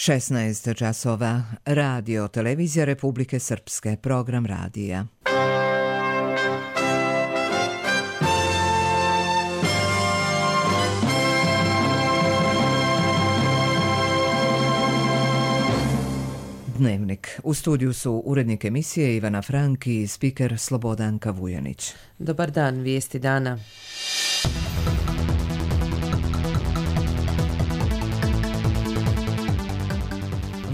16 časova. Radio Televizija Republike Srpske. Program radija. Dnevnik. U studiju su urednik emisije Ivana Frank i spiker Slobodanka Vujanić. Dobar dan, vijesti dana.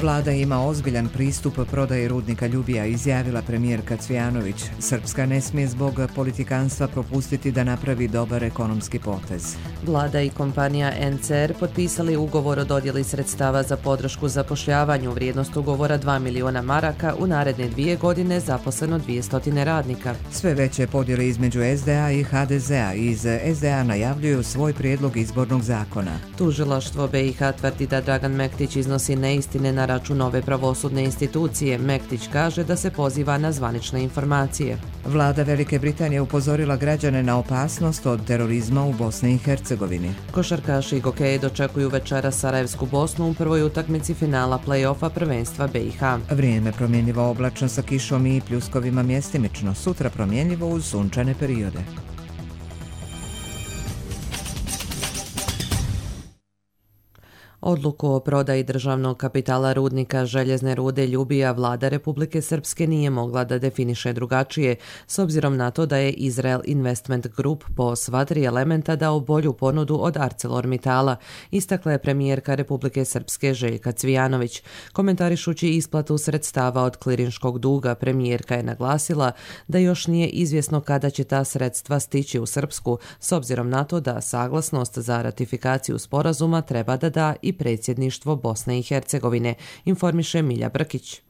Vlada ima ozbiljan pristup prodaji rudnika Ljubija, izjavila premijerka Cvijanović. Srpska ne smije zbog politikanstva propustiti da napravi dobar ekonomski potez. Vlada i kompanija NCR potpisali ugovor o dodjeli sredstava za podršku zapošljavanju. Vrijednost ugovora 2 miliona maraka, u naredne 2 godine zaposleno 200 radnika. Sve veće podjele između SDA i HDZ-a. Iz SDA najavljuju svoj prijedlog izbornog zakona. Tužilaštvo BiH tvrdi da Dragan Mektić iznosi neistine na račun ove pravosudne institucije. Mektić kaže da se poziva na zvanične informacije. Vlada Velike Britanije upozorila građane na opasnost od terorizma u Bosni i Hercegovini. Košarkaši i gokeji dočekuju večera Sarajevsku Bosnu u prvoj utakmici finala play-offa prvenstva BiH. Vrijeme promjenjivo, oblačno sa kišom i pljuskovima mjestimično. Sutra promjenjivo uz sunčane periode. Odluku o prodaji državnog kapitala rudnika željezne rude Ljubija Vlada Republike Srpske nije mogla da definiše drugačije, s obzirom na to da je Israel Investment Group po sva 3 elementa dao bolju ponudu od ArcelorMittala, istakla je premijerka Republike Srpske Željka Cvijanović. Komentarišući isplatu sredstava od klirinškog duga, premijerka je naglasila da još nije izvjesno kada će ta sredstva stići u Srpsku, s obzirom na to da saglasnost za ratifikaciju sporazuma treba da da i predsjedništvo Bosne i Hercegovine, informiše Milja Brkić.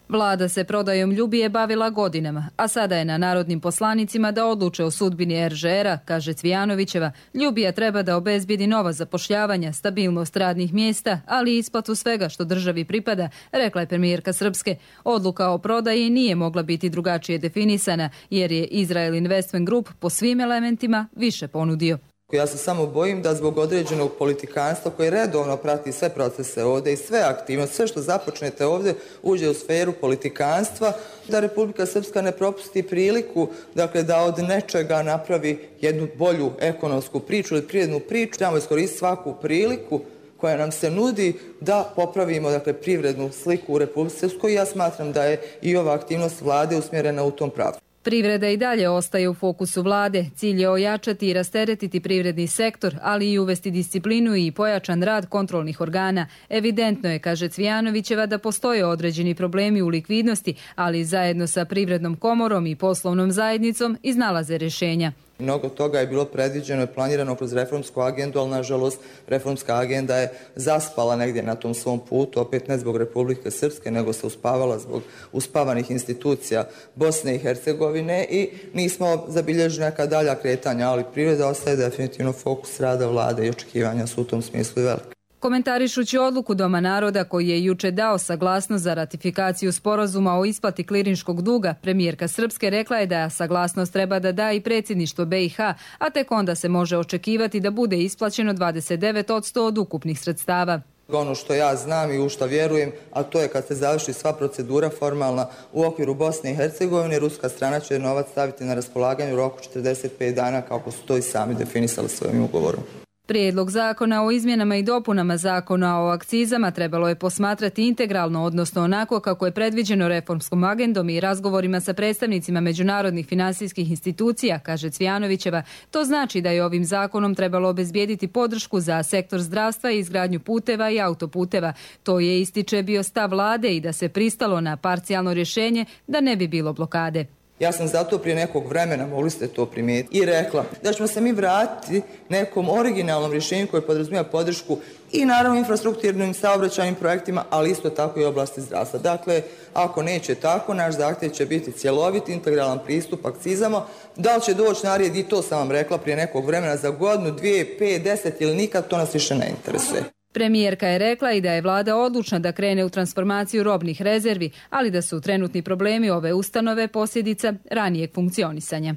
Vlada se prodajom Ljubije bavila godinama, a sada je na narodnim poslanicima da odluče o sudbini RŽR-a, kaže Cvijanovićeva. Ljubija treba da obezbijedi nova zapošljavanja, stabilnost radnih mjesta, ali i isplatu svega što državi pripada, rekla je premijerka Srpske. Odluka o prodaji nije mogla biti drugačije definisana, jer je Israel Investment Group po svim elementima više ponudio. Ja se samo bojim da zbog određenog politikanstva koji redovno prati sve procese ovdje i sve aktivnosti, sve što započnete ovdje uđe u sferu politikanstva, da Republika Srpska ne propusti priliku, dakle, da od nečega napravi jednu bolju ekonomsku priču ili privrednu priču. Trebamo iskoristiti svaku priliku koja nam se nudi da popravimo, dakle, privrednu sliku u Republici Srpskoj. Ja smatram da je i ova aktivnost vlade usmjerena u tom pravcu. Privreda i dalje ostaje u fokusu vlade. Cilj je ojačati i rasteretiti privredni sektor, ali i uvesti disciplinu i pojačan rad kontrolnih organa. Evidentno je, kaže Cvijanovićeva, da postoje određeni problemi u likvidnosti, ali zajedno sa Privrednom komorom i poslovnom zajednicom iznalaze rješenja. Mnogo toga je bilo predviđeno i planirano kroz reformsku agendu, ali nažalost reformska agenda je zaspala negdje na tom svom putu, opet ne zbog Republike Srpske, nego se uspavala zbog uspavanih institucija Bosne i Hercegovine i nismo zabilježili neka dalja kretanja, ali privreda ostaje definitivno fokus rada vlade i očekivanja su u tom smislu i velike. Komentarišući odluku Doma naroda koji je juče dao saglasnost za ratifikaciju sporazuma o isplati klirinškog duga, premijerka Srpske rekla je da saglasnost treba da da i predsjedništvo BiH, a tek onda se može očekivati da bude isplaćeno 29% od ukupnih sredstava. Ono što ja znam i u što vjerujem, a to je kad se završi sva procedura formalna u okviru Bosne i Hercegovine, ruska strana će novac staviti na raspolaganje u roku 45 dana, kako su to i sami definisali svojim ugovorom. Prijedlog zakona o izmjenama i dopunama zakona o akcizama trebalo je posmatrati integralno, odnosno onako kako je predviđeno reformskom agendom i razgovorima sa predstavnicima međunarodnih finansijskih institucija, kaže Cvijanovićeva. To znači da je ovim zakonom trebalo obezbijediti podršku za sektor zdravstva i izgradnju puteva i autoputeva. To je, ističe, bio stav vlade i da se pristalo na parcijalno rješenje da ne bi bilo blokade. Ja sam zato prije nekog vremena, mogli ste to primijetiti, i rekla da ćemo se mi vratiti nekom originalnom rješenju koje podrazumijeva podršku i naravno infrastrukturnim saobraćajnim projektima, ali isto tako i oblasti zdravstva. Dakle, ako neće tako, naš zahtjev će biti cjelovit, integralan pristup akcizama. Da li će doći na red, i to sam vam rekla prije nekog vremena, za godinu, 2, 5, 10 ili nikad, to nas više ne interesuje. Premijerka je rekla i da je vlada odlučna da krene u transformaciju robnih rezervi, ali da su trenutni problemi ove ustanove posljedica ranijeg funkcionisanja.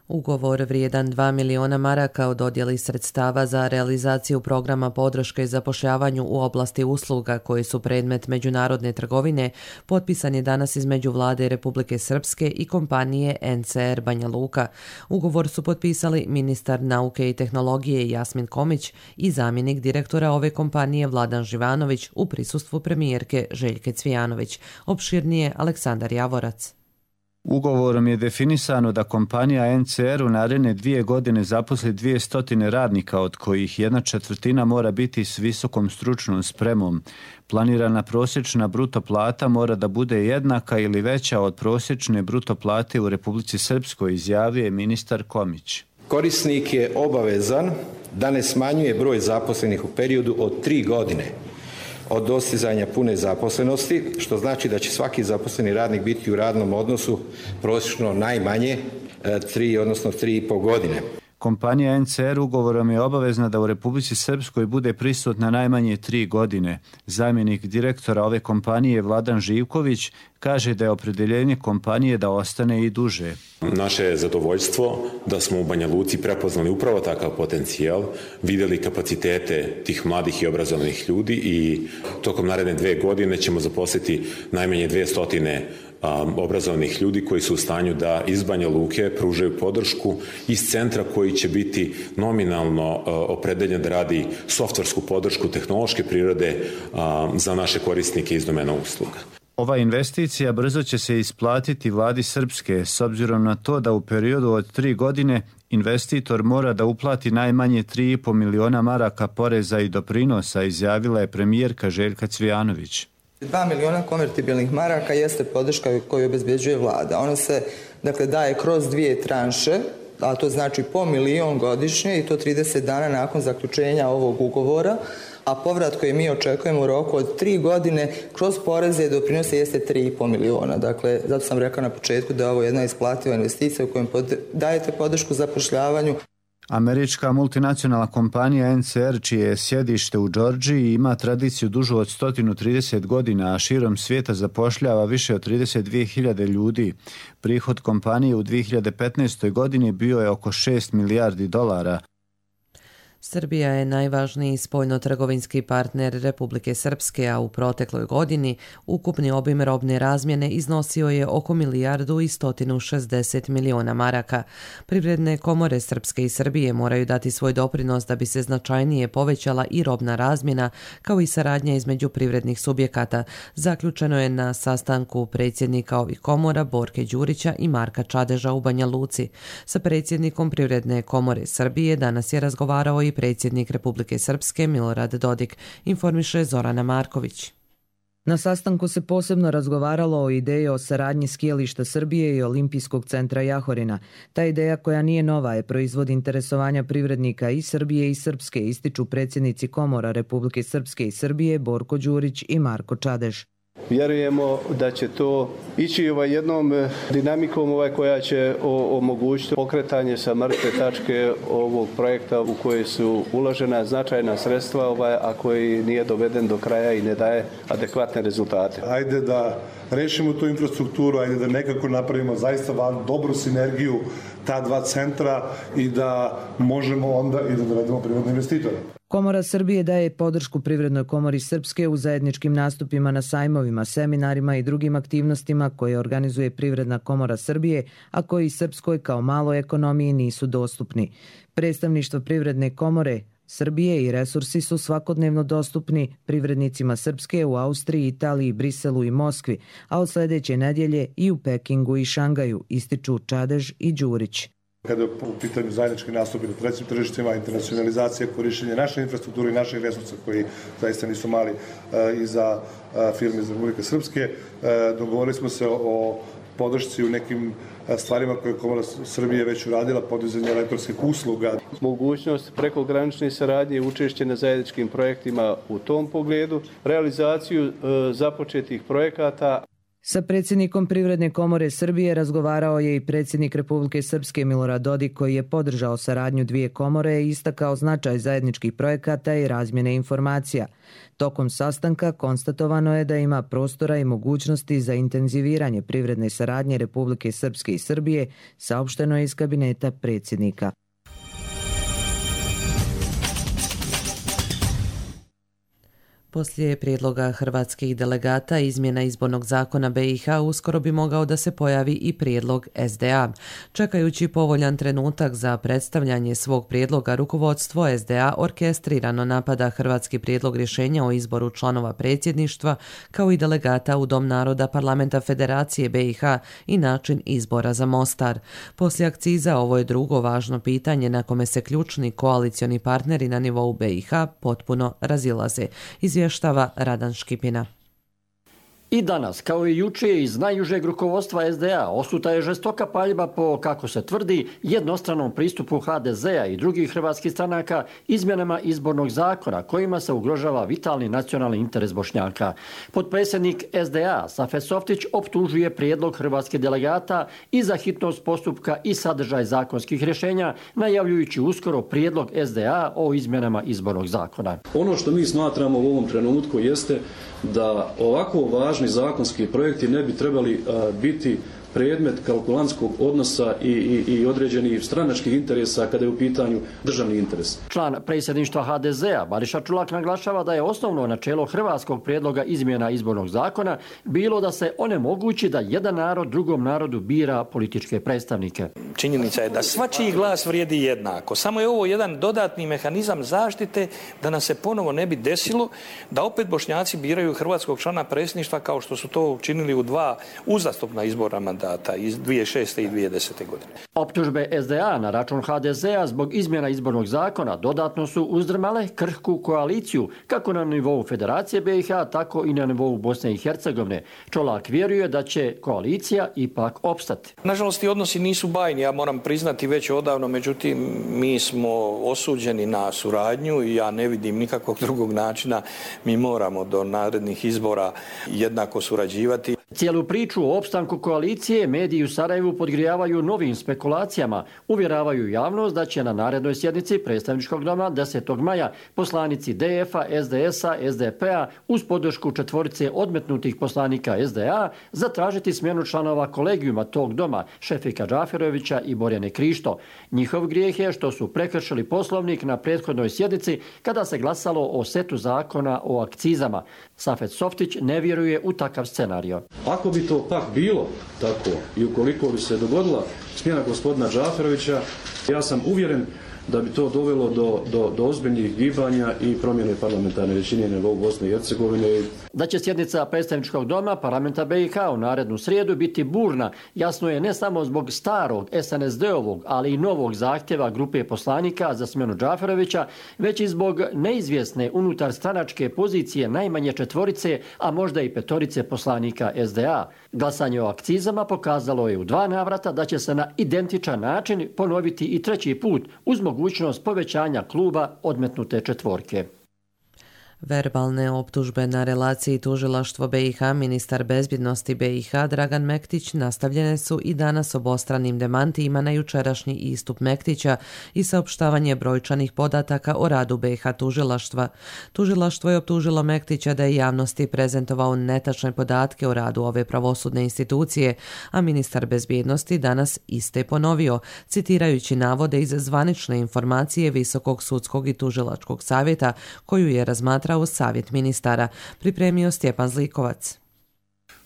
Ugovor vrijedan 2 miliona maraka o dodjeli sredstava za realizaciju programa podrške zapošljavanju u oblasti usluga koji su predmet međunarodne trgovine potpisan je danas između Vlade Republike Srpske i kompanije NCR Banja Luka. Ugovor su potpisali ministar nauke i tehnologije Jasmin Komić i zamjenik direktora ove kompanije Vladan Živanović u prisustvu premijerke Željke Cvijanović. Opširnije Aleksandar Javorac. Ugovorom je definisano da kompanija NCR u naredne 2 godine zaposli 200 radnika, od kojih 1/4 mora biti s visokom stručnom spremom. Planirana prosječna bruto plata mora da bude jednaka ili veća od prosječne bruto plate u Republici Srpskoj, izjavio je ministar Komić. Korisnik je obavezan da ne smanjuje broj zaposlenih u periodu od 3 godine od dostizanja pune zaposlenosti, što znači da će svaki zaposleni radnik biti u radnom odnosu prosječno najmanje 3, odnosno 3,5 godine. Kompanija NCR ugovorom je obavezna da u Republici Srpskoj bude prisutna najmanje 3 godine. Zamjenik direktora ove kompanije Vladan Živković kaže da je opredjeljenje kompanije da ostane i duže. Naše je zadovoljstvo da smo u Banja Luci prepoznali upravo takav potencijal, vidjeli kapacitete tih mladih i obrazovanih ljudi i tokom naredne 2 godine ćemo zaposliti najmanje 200 obrazovanih ljudi koji su u stanju da iz Banja Luke pružaju podršku iz centra koji će biti nominalno opredeljen da radi softversku podršku tehnološke prirode za naše korisnike iz domena usluga. Ova investicija brzo će se isplatiti Vladi Srpske, s obzirom na to da u periodu od 3 godine investitor mora da uplati najmanje 3,5 miliona maraka poreza i doprinosa, izjavila je premijerka Željka Cvijanović. 2 miliona konvertibilnih maraka jeste podrška koju obezbeđuje vlada. Ona se daje kroz 2 tranše, a to znači po milion godišnje i to 30 dana nakon zaključenja ovog ugovora, a povrat koji mi očekujemo u roku od 3 godine kroz poreze i doprinose jeste 3,5 miliona. Dakle, zato sam rekao na početku da je ovo jedna isplativa investicija u kojoj dajete podršku zapošljavanju. Američka multinacionalna kompanija NCR, čije je sjedište u Džordžiji, ima tradiciju dužu od 130 godina, a širom svijeta zapošljava više od 32.000 ljudi. Prihod kompanije u 2015. godini bio je oko 6 milijardi dolara. Srbija je najvažniji spoljno-trgovinski partner Republike Srpske, a u protekloj godini ukupni obim robne razmjene iznosio je oko 1.160 miliona maraka. Privredne komore Srpske i Srbije moraju dati svoj doprinos da bi se značajnije povećala i robna razmjena, kao i saradnja između privrednih subjekata. Zaključeno je na sastanku predsjednika ovih komora Borke Đurića i Marka Čadeža u Banja Luci. Sa predsjednikom Privredne komore Srbije danas je razgovarao i predsjednik Republike Srpske Milorad Dodik, informiše Zorana Marković. Na sastanku se posebno razgovaralo o ideji o saradnji skijališta Srbije i Olimpijskog centra Jahorina. Ta ideja, koja nije nova, je proizvod interesovanja privrednika i Srbije i Srpske, ističu predsjednici komora Republike Srpske i Srbije Borko Đurić i Marko Čadež. Vjerujemo da će to ići jednom dinamikom koja će omogućiti pokretanje sa mrtve tačke ovog projekta u koje su uložena značajna sredstva, a koji nije doveden do kraja i ne daje adekvatne rezultate. Ajde da rešimo tu infrastrukturu, ajde da nekako napravimo zaista dobru sinergiju ta dva centra i da možemo onda i da dovedemo privatne investitore. Komora Srbije daje podršku Privrednoj komori Srpske u zajedničkim nastupima na sajmovima, seminarima i drugim aktivnostima koje organizuje Privredna komora Srbije, a koji Srpskoj kao maloj ekonomiji nisu dostupni. Predstavništvo Privredne komore Srbije i resursi su svakodnevno dostupni privrednicima Srpske u Austriji, Italiji, Briselu i Moskvi, a od sljedeće nedjelje i u Pekingu i Šangaju, ističu Čadež i Đurić. Kada je u pitanju zajednički nastupi na trećim tržištima, internacionalizacija, korištenje naše infrastrukture i naših resursa koji zaista nisu mali i za firme iz Republike Srpske, dogovorili smo se o podršci u nekim stvarima koje je Komora Srbije već uradila, podizanje elektronskih usluga. Mogućnost prekogranične saradnje i učešće na zajedničkim projektima u tom pogledu, realizaciju započetih projekata. Sa predsjednikom Privredne komore Srbije razgovarao je i predsjednik Republike Srpske Milorad Dodik, koji je podržao saradnju dvije komore i istakao značaj zajedničkih projekata i razmjene informacija. Tokom sastanka konstatovano je da ima prostora i mogućnosti za intenziviranje privredne saradnje Republike Srpske i Srbije, saopšteno je iz kabineta predsjednika. Poslije prijedloga hrvatskih delegata izmjena izbornog zakona BiH uskoro bi mogao da se pojavi i prijedlog SDA. Čekajući povoljan trenutak za predstavljanje svog prijedloga, rukovodstvo SDA orkestrirano napada hrvatski prijedlog rješenja o izboru članova predsjedništva kao i delegata u Dom naroda Parlamenta Federacije BiH i način izbora za Mostar. Poslije akciza ovo je drugo važno pitanje na kome se ključni koalicioni partneri na nivou BiH potpuno razilaze. Izvještava Radan Škipina. I danas, kao i juče, iz najužeg rukovodstva SDA osuta je žestoka paljba po, kako se tvrdi, jednostranom pristupu HDZ-a i drugih hrvatskih stranaka izmjenama izbornog zakona kojima se ugrožava vitalni nacionalni interes Bošnjaka. Potpredsjednik SDA Safet Softić optužuje prijedlog hrvatskih delegata i za hitnost postupka i sadržaj zakonskih rješenja, najavljujući uskoro prijedlog SDA o izmjenama izbornog zakona. Ono što mi smatramo u ovom trenutku jeste da ovako važni zakonski projekti ne bi trebali biti predmet kalkulantskog odnosa i određenih stranačkih interesa kada je u pitanju državni interes. Član predsjedništva HDZ-a Bariša Čulak naglašava da je osnovno načelo hrvatskog prijedloga izmjena izbornog zakona bilo da se onemogući da jedan narod drugom narodu bira političke predstavnike. Činjenica je da svačiji glas vrijedi jednako. Samo je ovo jedan dodatni mehanizam zaštite da nam se ponovo ne bi desilo da opet Bošnjaci biraju hrvatskog člana predsjedništva kao što su to učinili u dva uzastopna izborna mandata iz 2006. i 2010. godine. Optužbe SDA na račun HDZ-a zbog izmjena izbornog zakona dodatno su uzdrmale krhku koaliciju kako na nivou Federacije BiH, tako i na nivou Bosne i Hercegovine. Čolak vjeruje da će koalicija ipak opstati. Nažalost, i odnosi nisu bajni, ja moram priznati već odavno, međutim, mi smo osuđeni na suradnju i ja ne vidim nikakvog drugog načina. Mi moramo do narednih izbora jednako surađivati. Cijelu priču o opstanku koalicije mediji u Sarajevu podgrijavaju novim spekulacijama. Uvjeravaju javnost da će na narednoj sjednici predstavničkog doma 10. maja poslanici DF-a, SDS-a, SDP-a uz podršku četvorice odmetnutih poslanika SDA zatražiti smjenu članova kolegijuma tog doma, Šefika Džaferovića i Borjane Krišto. Njihov grijeh je što su prekršili poslovnik na prethodnoj sjednici kada se glasalo o setu zakona o akcizama. Safet Softić ne vjeruje u takav scenario. Ako bi to pak bilo tako i ukoliko bi se dogodila smjena gospodina Džaferovića, ja sam uvjeren da bi to dovelo do ozbiljnih gibanja i promjene parlamentarne većine na nivou Bosne i Hercegovine. Da će sjednica predstavničkog doma parlamenta BiH u narednu srijedu biti burna, jasno je ne samo zbog starog SNSD-ovog, ali i novog zahtjeva grupe poslanika za smjenu Džaferovića, već i zbog neizvjesne unutar stranačke pozicije najmanje četvorice, a možda i petorice poslanika SDA. Glasanje o akcizama pokazalo je u 2 navrata da će se na identičan način ponoviti i 3. put uz mogućnost povećanja kluba odmetnute četvorke. Verbalne optužbe na relaciji tužilaštvo BiH, ministar bezbjednosti BiH Dragan Mektić nastavljene su i danas obostranim demantijima na jučerašnji istup Mektića i saopštavanje brojčanih podataka o radu BiH tužilaštva. Tužilaštvo je optužilo Mektića da je javnosti prezentovao netačne podatke o radu ove pravosudne institucije, a ministar bezbjednosti danas iste ponovio, citirajući navode iz zvanične informacije Visokog sudskog i tužilačkog savjeta koju je razmatrao savjet ministara, pripremio Stjepan Zlikovac.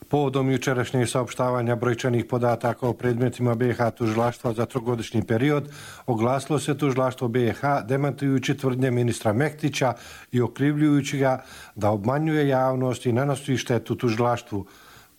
Povodom jučerašnjeg saopštavanja brojčanih podataka o predmetima BiH tužilaštva za 3-godišnji period, oglasilo se tužilaštvo BiH demantujući tvrdnje ministra Mektića i okrivljujući ga da obmanjuje javnost i nanosi štetu tužilaštvu.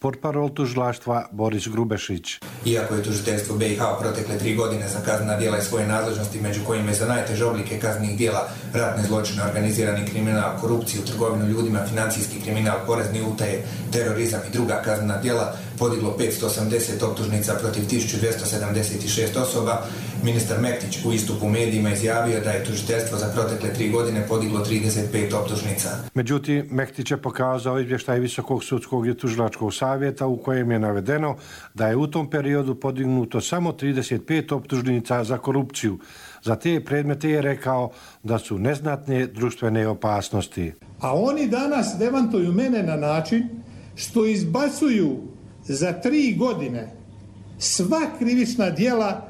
Portparol tužilaštva Boris Grubešić. Iako je tužiteljstvo BiH protekle 3 godine za kaznena djela i svoje nadležnosti, među kojima je za najteže oblike kaznenih djela ratne zločine, organizirani kriminal, korupciju, trgovinu ljudima, financijski kriminal, porezni utaje, terorizam i druga kaznena djela, podiglo 580 optužnica protiv 1276 osoba, Ministar Mektić u istupu u medijima izjavio da je tužiteljstvo za protekle 3 godine podiglo 35 optužnica. Međutim, Mektić je pokazao izvještaj Visokog sudskog i tužilačkog savjeta u kojem je navedeno da je u tom periodu podignuto samo 35 optužnica za korupciju. Za te predmete je rekao da su neznatne društvene opasnosti. A oni danas demantuju mene na način što izbacuju za 3 godine sva krivična djela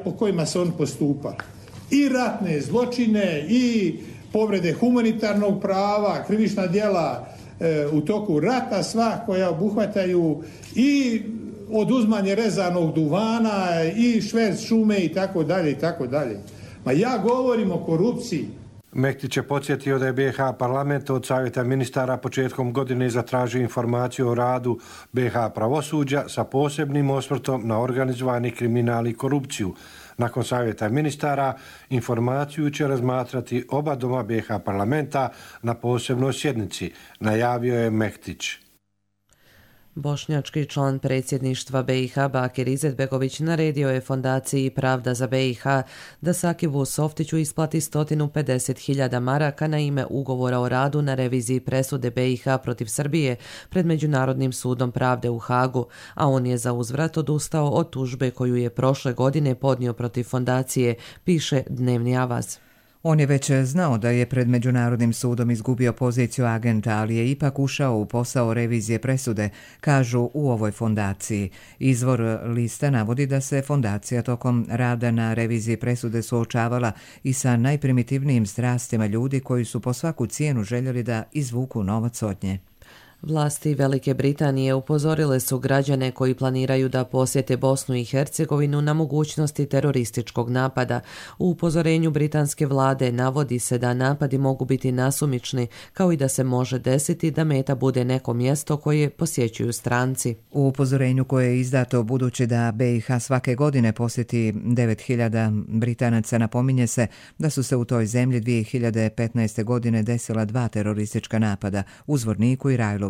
po kojima se on postupa. I ratne zločine, i povrede humanitarnog prava, krivična djela u toku rata, sva koja obuhvataju i oduzmanje rezanog duvana, i šverc šume i tako dalje i tako dalje. Ma ja govorim o korupciji. Mektić je podsjetio da je BiH parlament od Savjeta ministara početkom godine zatražio informaciju o radu BiH pravosuđa sa posebnim osvrtom na organizovani kriminal i korupciju. Nakon Savjeta ministara informaciju će razmatrati oba doma BiH parlamenta na posebnoj sjednici, najavio je Mektić. Bošnjački član predsjedništva BiH Bakir Izetbegović naredio je fondaciji Pravda za BiH da Sakivu Softiću isplati 150.000 maraka na ime ugovora o radu na reviziji presude BiH protiv Srbije pred Međunarodnim sudom pravde u Hagu, a on je za uzvrat odustao od tužbe koju je prošle godine podnio protiv fondacije, piše Dnevni Avaz. On je već znao da je pred Međunarodnim sudom izgubio poziciju agenta, ali je ipak ušao u posao revizije presude, kažu u ovoj fondaciji. Izvor lista navodi da se fondacija tokom rada na reviziji presude suočavala i sa najprimitivnijim strastima ljudi koji su po svaku cijenu željeli da izvuku novac od nje. Vlasti Velike Britanije upozorile su građane koji planiraju da posjete Bosnu i Hercegovinu na mogućnosti terorističkog napada. U upozorenju britanske vlade navodi se da napadi mogu biti nasumični, kao i da se može desiti da meta bude neko mjesto koje posjećuju stranci. U upozorenju koje je izdato budući da BiH svake godine posjeti 9.000 Britanaca, napominje se da su se u toj zemlji 2015. godine desila 2 teroristička napada u Zvorniku i Rajlovcu.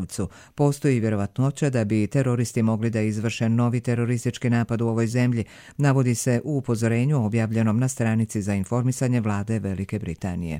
Postoji vjerovatnoća da bi teroristi mogli da izvrše novi teroristički napad u ovoj zemlji, navodi se u upozorenju objavljenom na stranici za informisanje vlade Velike Britanije.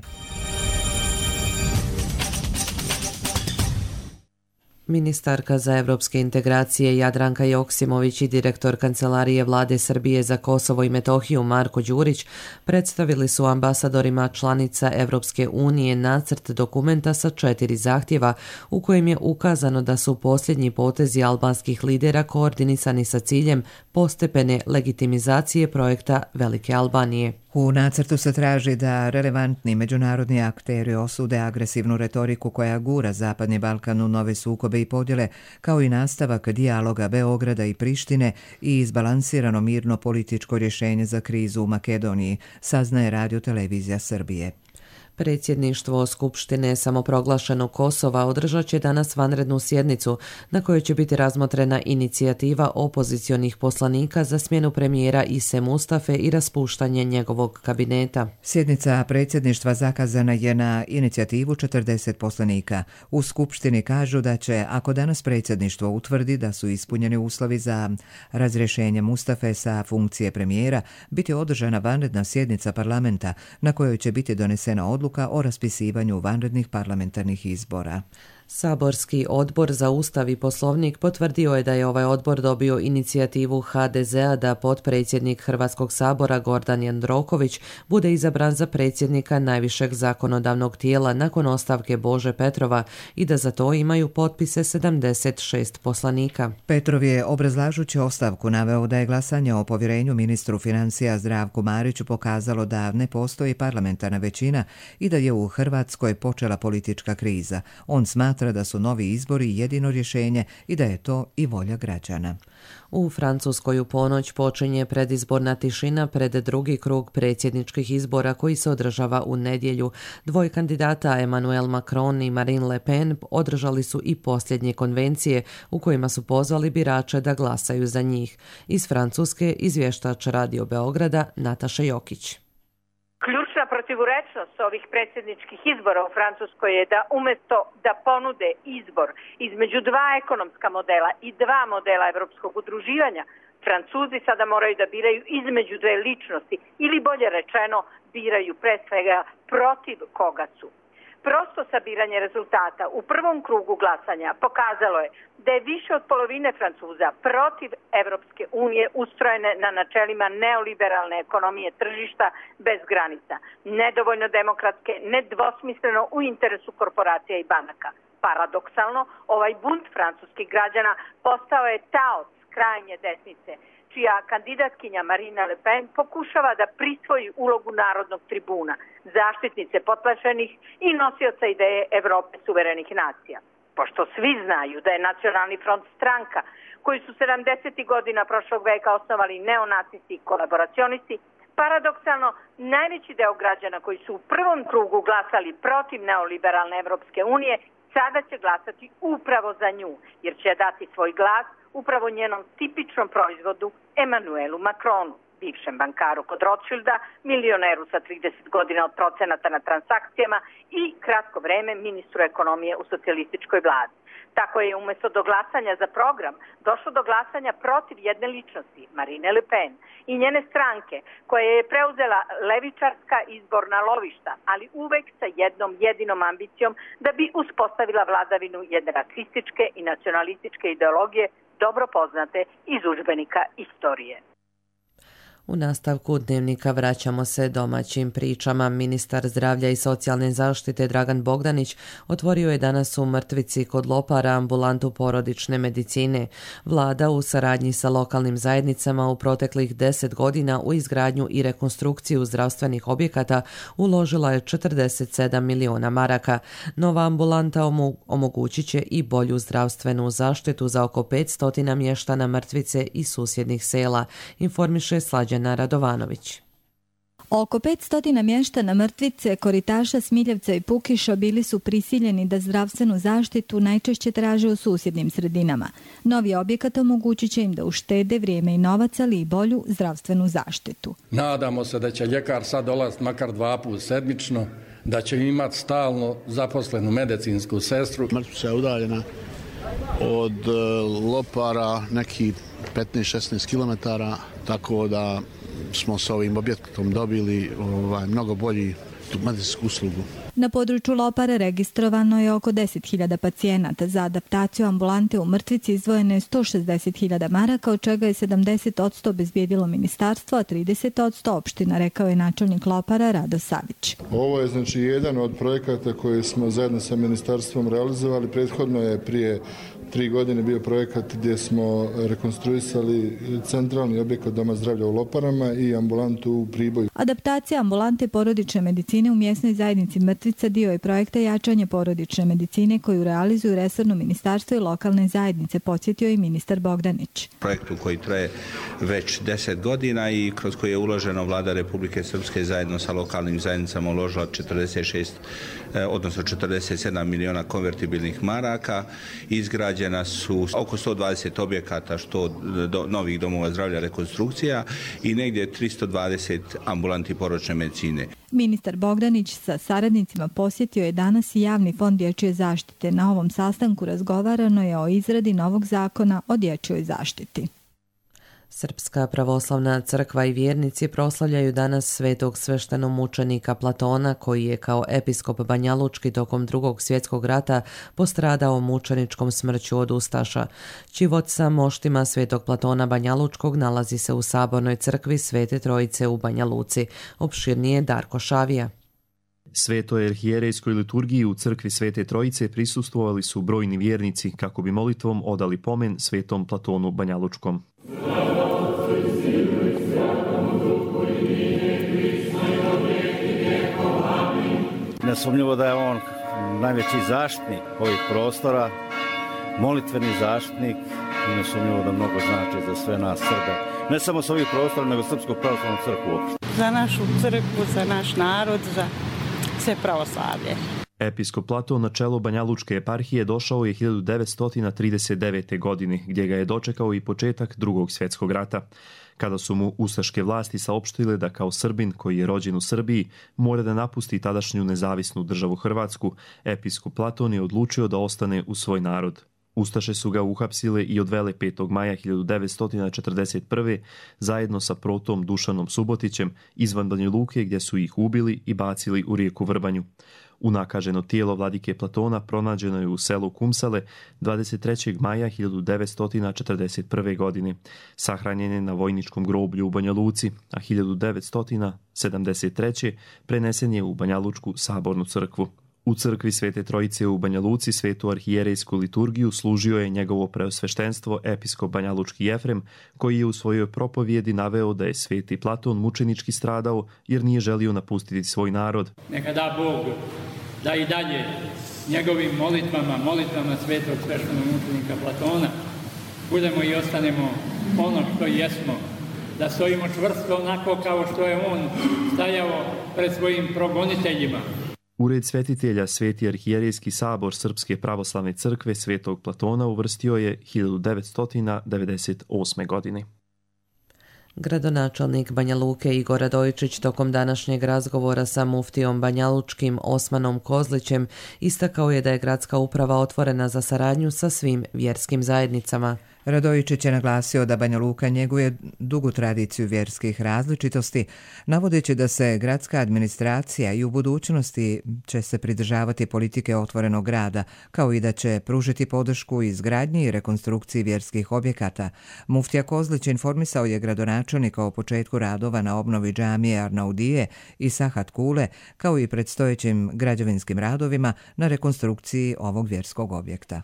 Ministarka za evropske integracije Jadranka Joksimović i direktor Kancelarije vlade Srbije za Kosovo i Metohiju Marko Đurić predstavili su ambasadorima članica Evropske unije nacrt dokumenta sa 4 zahtjeva u kojem je ukazano da su posljednji potezi albanskih lidera koordinisani sa ciljem postepene legitimizacije projekta Velike Albanije. U nacrtu se traži da relevantni međunarodni akteri osude agresivnu retoriku koja gura Zapadni Balkan u nove sukobe i podjele, kao i nastavak dijaloga Beograda i Prištine i izbalansirano mirno političko rješenje za krizu u Makedoniji, saznaje Radio Televizija Srbije. Predsjedništvo Skupštine samoproglašenog Kosova održat će danas vanrednu sjednicu na kojoj će biti razmotrena inicijativa opozicionih poslanika za smjenu premijera Ise Mustafe i raspuštanje njegovog kabineta. Sjednica predsjedništva zakazana je na inicijativu 40 poslanika. U Skupštini kažu da će, ako danas predsjedništvo utvrdi da su ispunjeni uslovi za razrješenje Mustafe sa funkcije premijera, biti održana vanredna sjednica parlamenta na kojoj će biti donesena odluka o raspisivanju vanrednih parlamentarnih izbora. Saborski odbor za Ustav i Poslovnik potvrdio je da je ovaj odbor dobio inicijativu HDZ-a da potpredsjednik Hrvatskog sabora Gordan Jandroković bude izabran za predsjednika najvišeg zakonodavnog tijela nakon ostavke Bože Petrova i da za to imaju potpise 76 poslanika. Petrov je, obrazlažući ostavku, naveo da je glasanje o povjerenju ministru financija Zdravku Mariću pokazalo da ne postoji parlamentarna većina i da je u Hrvatskoj počela politička kriza. On smatra da su novi izbori jedino rješenje i da je to i volja građana. U Francuskoj u ponoć počinje predizborna tišina pred drugi krug predsjedničkih izbora koji se održava u nedjelju. Dvoje kandidata, Emmanuel Macron i Marine Le Pen, održali su i posljednje konvencije u kojima su pozvali birače da glasaju za njih. Iz Francuske izvještač Radio Beograda Nataša Jokić. Ključna protivurečnost ovih predsjedničkih izbora u Francuskoj je da umjesto da ponude izbor između 2 ekonomska modela i 2 modela evropskog udruživanja, Francuzi sada moraju da biraju između dve ličnosti ili bolje rečeno biraju pre svega protiv koga su. Prosto sabiranje rezultata u prvom krugu glasanja pokazalo je da je više od polovine Francuza protiv Evropske unije ustrojene na načelima neoliberalne ekonomije tržišta bez granica, nedovoljno demokratske, nedvosmisleno u interesu korporacija i banaka. Paradoksalno, ovaj bunt francuskih građana postao je taoc krajnje desnice, čija kandidatkinja Marine Le Pen pokušava da prisvoji ulogu narodnog tribuna, zaštitnice potlačenih i nosioca ideje Evrope suverenih nacija. Pošto svi znaju da je Nacionalni front stranka koji su 70. godina prošlog veka osnovali neonacisti i kolaboracionisti, paradoksalno najveći deo građana koji su u prvom krugu glasali protiv neoliberalne Evropske unije sada će glasati upravo za nju, jer će dati svoj glas upravo njenom tipičnom proizvodu Emmanuelu Macronu, bivšem bankaru kod Rothschilda, milioneru sa 30 godina od procenata na transakcijama i kratko vreme ministru ekonomije u socijalističkoj vladi. Tako je umjesto do glasanja za program došlo do glasanja protiv jedne ličnosti, Marine Le Pen, i njene stranke, koja je preuzela levičarska izborna lovišta, ali uvek sa jednom jedinom ambicijom da bi uspostavila vladavinu jedne rasističke i nacionalističke ideologije dobro poznate iz udžbenika istorije. U nastavku dnevnika vraćamo se domaćim pričama. Ministar zdravlja i socijalne zaštite Dragan Bogdanić otvorio je danas u Mrtvici kod Lopara ambulantu porodične medicine. Vlada u saradnji sa lokalnim zajednicama u proteklih 10 godina u izgradnju i rekonstrukciju zdravstvenih objekata uložila je 47 miliona maraka. Nova ambulanta omogućit će i bolju zdravstvenu zaštitu za oko 500 mještana Mrtvice i susjednih sela, informiše Slađana Radovanović. Oko 500 mještana Mrtvice, Koritaša, Smiljevca i Pukiša bili su prisiljeni da zdravstvenu zaštitu najčešće traže u susjednim sredinama. Novi objekat omogućit će im da uštede vrijeme i novac, ali i bolju zdravstvenu zaštitu. Nadamo se da će ljekar sad dolaziti makar 2 puta sedmično, da će imati stalno zaposlenu medicinsku sestru. Mrtvica je udaljena od Lopara nekih 15-16 km, tako da smo s ovim objektom dobili mnogo bolji medicinsku uslugu. Na području Lopara registrovano je oko 10.000 pacijenata. Za adaptaciju ambulante u Mrtvici izdvojeno je 160.000 maraka, od čega je 70% obezbijedilo ministarstvo, a 30% opština, rekao je načelnik Lopara Rado Savić. Ovo je znači jedan od projekata koje smo zajedno sa ministarstvom realizovali. Prethodno je prije 3 godine bio projekat gdje smo rekonstruisali centralni objekat Doma zdravlja u Loparama i ambulantu u Priboju. Adaptacija ambulante porodične medicine u mjesnoj zajednici Mrtvica dio je projekta jačanje porodične medicine koju realizuju resorno ministarstvo i lokalne zajednice, podsjetio i ministar Bogdanić. Projektu koji traje već 10 godina i kroz koji je uloženo Vlada Republike Srpske zajedno sa lokalnim zajednicama uložila 47 miliona konvertibilnih maraka. Izgrađena su oko 120 objekata, što novih domova zdravlja, rekonstrukcija i negdje 320 ambulanti porodične medicine. Ministar Bogdanić sa saradnicima posjetio je danas i Javni fond dječje zaštite. Na ovom sastanku razgovarano je o izradi novog zakona o dječjoj zaštiti. Srpska pravoslavna crkva i vjernici proslavljaju danas svetog sveštenomučenika Platona, koji je kao episkop Banjalučki tokom Drugog svjetskog rata postradao mučeničkom smrću od ustaša. Čivot sa moštima svetog Platona Banjalučkog nalazi se u Sabornoj crkvi Svete Trojice u Banja Luci. Opširnije Darko Šavija. Svetoj arhijerejskoj liturgiji u crkvi Svete Trojice prisustvovali su brojni vjernici kako bi molitvom odali pomen svetom Platonu Banjalučkom. Nesumnjivo da je on najveći zaštitnik ovih prostora, molitveni zaštitnik i nesumnjivo da mnogo znači za sve nas Srbe. Ne samo s ovih prostora, nego Srpsku pravoslavnu crkvu uopšte. Za našu crkvu, za naš narod, za sve pravoslavlje. Episkop Platon na čelo Banjalučke eparhije došao je 1939. godine, gdje ga je dočekao i početak Drugog svjetskog rata. Kada su mu ustaške vlasti saopštile da kao Srbin koji je rođen u Srbiji mora da napusti tadašnju nezavisnu državu Hrvatsku, episkop Platon je odlučio da ostane u svoj narod. Ustaše su ga uhapsile i odvele 5. maja 1941. zajedno sa protom Dušanom Subotićem izvan Banja Luke, gdje su ih ubili i bacili u rijeku Vrbanju. Unakaženo tijelo vladike Platona pronađeno je u selu Kumsale 23. maja 1941. godine. Sahranjen je na vojničkom groblju u Banja Luci, a 1973. prenesen je u Banjalučku sabornu crkvu. U crkvi Svete Trojice u Banja Luci svetu arhijerejsku liturgiju služio je njegovo preosveštenstvo episkop banjalučki Jefrem, koji je u svojoj propovjedi naveo da je sveti Platon mučenički stradao jer nije želio napustiti svoj narod. Neka da Bog da i dalje njegovim molitvama svetog sveštenog mučenika Platona budemo i ostanemo ono što jesmo, da stojimo čvrsto onako kao što je on stajao pred svojim progoniteljima. Ured svetitelja Sveti arhijerejski sabor Srpske pravoslavne crkve Svetog Platona uvrstio je 1998. godine. Gradonačelnik Banja Luke Igor Radojičić tokom današnjeg razgovora sa muftijom banjalučkim Osmanom Kozlićem istakao je da je gradska uprava otvorena za saradnju sa svim vjerskim zajednicama. Radojičić je naglasio da Banja Luka njeguje dugu tradiciju vjerskih različitosti, navodeći da se gradska administracija i u budućnosti će se pridržavati politike otvorenog grada, kao i da će pružiti podršku izgradnji i rekonstrukciji vjerskih objekata. Muftija Kozlić informisao je gradonačelnika o početku radova na obnovi džamije Arnaudije i Sahat Kule, kao i predstojećim građevinskim radovima na rekonstrukciji ovog vjerskog objekta.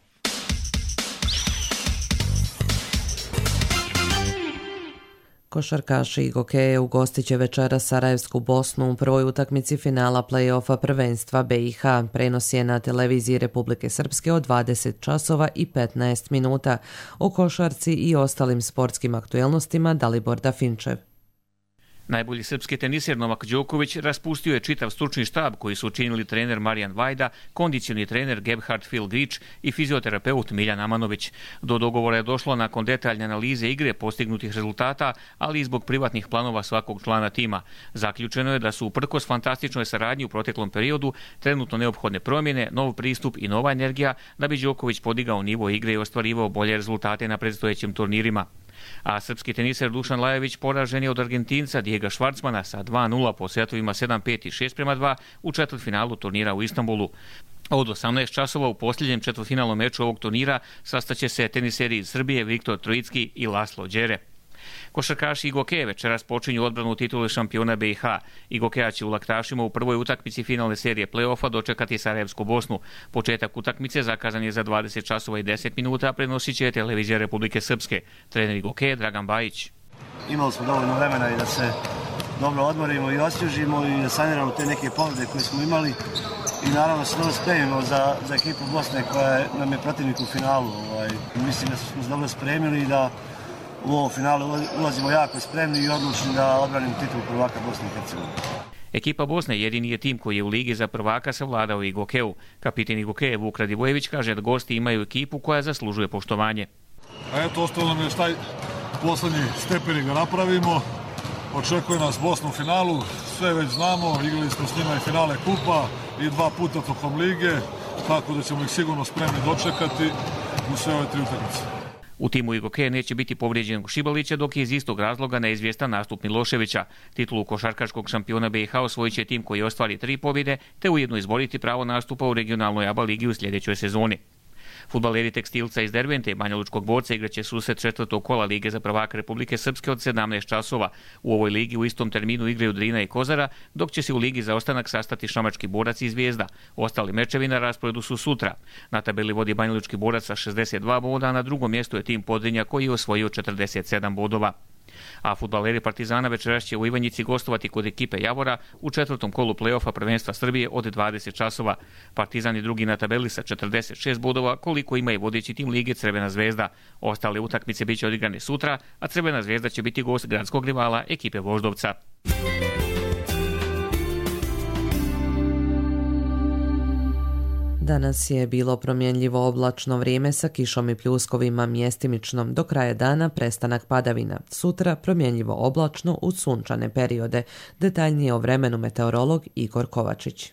Košarkaši Igokeje ugostit će večeras Sarajevsku Bosnu u prvoj utakmici finala play-offa prvenstva BiH. Prenos je na televiziji Republike Srpske od 20 časova i 15 minuta. O košarci i ostalim sportskim aktuelnostima Dalibor Dafinčev. Najbolji srpski teniser Novak Đoković raspustio je čitav stručni štab koji su učinili trener Marijan Vajda, kondicioni trener Gebhard Filgić i fizioterapeut Miljan Amanović. Do dogovora je došlo nakon detaljne analize igre postignutih rezultata, ali i zbog privatnih planova svakog člana tima. Zaključeno je da su uprkos fantastičnoj saradnji u proteklom periodu trenutno neophodne promjene, nov pristup i nova energija da bi Đoković podigao nivo igre i ostvarivao bolje rezultate na predstojećim turnirima. A srpski teniser Dušan Lajović poražen je od Argentinca Diega Švarcmana sa 2-0 po setovima 7-5 i 6-2 u četvrtfinalu turnira u Istanbulu. Od 18 časova u posljednjem četvrtfinalnom meču ovog turnira sastaće se teniseri iz Srbije Viktor Trojicki i Laslo Đere. Košarkaši Igokeje večeras počinju odbranu titule šampiona BiH. Igokeja će u Laktašima u prvoj utakmici finalne serije play-offa dočekati Sarajevsku Bosnu. Početak utakmice zakazan je za 20 časova i 10 minuta, prenosit će televizija Republike Srpske. Trener Igokeje Dragan Bajić. Imali smo dovoljno vremena i da se dobro odmorimo i osvježimo i da saniramo te neke povrede koje smo imali i naravno se dobro spremimo za ekipu Bosne koja nam je protivnik u finalu. Mislim da smo se dobro spremili i da u ovom finalu ulazimo jako spremni i odlučni da odbranimo titulu prvaka Bosne i Hercegovine. Ekipa Bosne jedini je tim koji je u ligi za prvaka savladao Igokeju. Kapitan Igokeje Vuk Radivojević kaže da gosti imaju ekipu koja zaslužuje poštovanje. Eto, ostalo nam je taj poslednji stepenik da napravimo. Očekuje nas Bosna u finalu, sve već znamo, igrali smo s njima i finale kupa i 2 puta tokom lige, tako da ćemo ih sigurno spremni dočekati u sve ove 3 utakmice. U timu Igokeje neće biti povrijeđenog Šibalića, dok je iz istog razloga neizvjestan nastup Miloševića. Titulu košarkaškog šampiona BiH osvojit će tim koji ostvari 3 pobjede, te ujedno izboriti pravo nastupa u regionalnoj ABA ligi u sljedećoj sezoni. Fudbaleri Tekstilca iz Dervente i Banjalučkog Borca igraće susret 4. kola Lige za prvaka Republike Srpske od 17 časova. U ovoj ligi u istom terminu igraju Drina i Kozara, dok će se u ligi za ostanak sastati Šamački Borac i Zvijezda. Ostali mečevi na rasporedu su sutra. Na tabeli vodi Banjalučki Borac sa 62 boda, a na drugom mjestu je tim Podrinja koji je osvojio 47 bodova. A fudbaleri Partizana večeras će u Ivanjici gostovati kod ekipe Javora u 4. kolu play-offa prvenstva Srbije od 20 časova. Partizan je drugi na tabeli sa 46 bodova, koliko ima i vodeći tim lige Crvena Zvezda. Ostale utakmice bit će odigrane sutra, a Crvena Zvezda će biti gost gradskog rivala ekipe Voždovca. Danas je bilo promjenljivo oblačno vrijeme sa kišom i pljuskovima mjestimično. Do kraja dana prestanak padavina. Sutra promjenljivo oblačno uz sunčane periode. Detaljnije o vremenu meteorolog Igor Kovačić.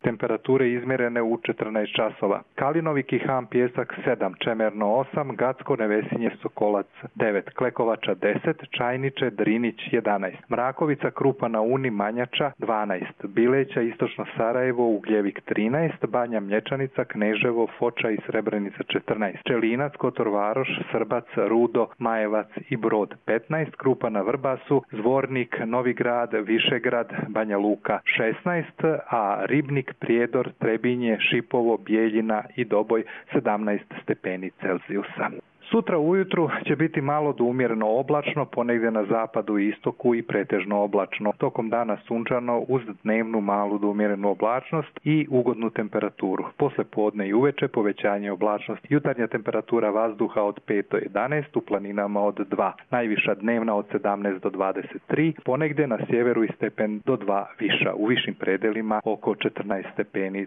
Temperature izmjerene u 14 časova. Kalinovi Kihan Pjesak 7, Čemerno 8, Gacko Nevesinje Sokolac 9, Klekovača 10, Čajniče Drinić 11, Mrakovica Krupa na Uni Manjača 12, Bileća Istočno Sarajevo Ugljevik 13, Banja Mlječanica Kneževo Foča i Srebrenica 14, Čelinac Kotor Varoš Srbac Rudo Majevac i Brod 15, Krupa na Vrbasu Zvornik Novigrad Višegrad Banja Luka 16, a Ribnik Prijedor Trebinje Šipovo Bijeljina i Doboj 17 stepeni Celzijusa. Sutra ujutru će biti malo do umjereno oblačno, ponegdje na zapadu i istoku i pretežno oblačno. Tokom dana sunčano uz dnevnu malu do umjerenu oblačnost i ugodnu temperaturu. Posle podne i uveče povećanje oblačnosti. Jutarnja temperatura vazduha od 5 do 11, u planinama od 2. Najviša dnevna od 17 do 23, ponegdje na sjeveru i stepen do 2 viša. U višim predelima oko 14 stepeni.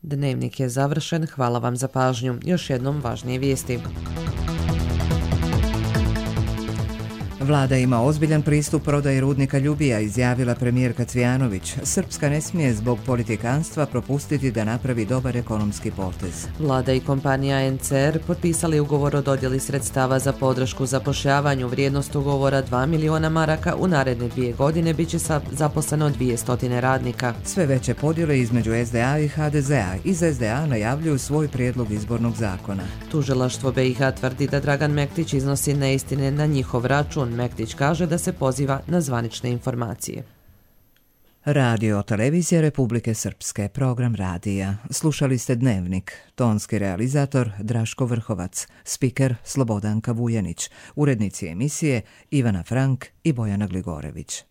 Dnevnik je završen, hvala vam za pažnju. Još jednom važnije vijesti. Vlada ima ozbiljan pristup prodaji rudnika Ljubija, izjavila premijerka Cvijanović. Srpska ne smije zbog politikanstva propustiti da napravi dobar ekonomski potez. Vlada i kompanija NCR potpisali ugovor o dodjeli sredstava za podršku zapošljavanju. Vrijednost ugovora 2 miliona maraka, u naredne 2 godine bit će zaposleno 200 radnika. Sve veće podjele između SDA i HDZ-a. Iz SDA najavljuju svoj prijedlog izbornog zakona. Tužilaštvo BiH tvrdi da Dragan Mektić iznosi neistine na njihov račun. Mektić kaže da se poziva na zvanične informacije. Radio Televizija Republike Srpske, program radija. Slušali ste Dnevnik. Tonski realizator Draško Vrhovac, spiker Slobodanka Vujanić, urednici emisije Ivana Frank i Bojana Gligorević.